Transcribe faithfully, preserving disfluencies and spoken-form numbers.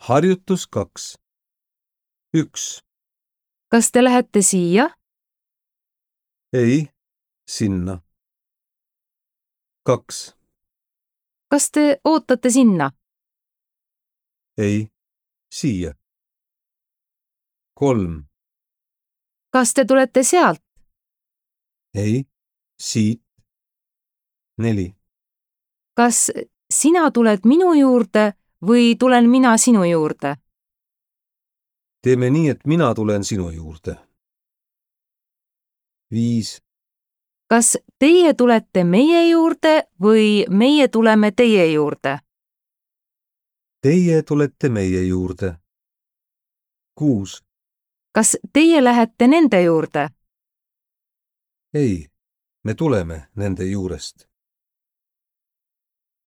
Harjutus kaks. Üks. Kas te lähete siia? Ei, sinna. Kaks. Kas te ootate sinna? Ei, siia. Kolm. Kas te tulete sealt? Ei, siit. Neli. Kas sina tuled minu juurde või tulen mina sinu juurde? Teeme nii, et mina tulen sinu juurde. Viis. Kas teie tulete meie juurde või meie tuleme teie juurde? Teie tulete meie juurde. Kuus. Kas teie lähete nende juurde? Ei, me tuleme nende juurest.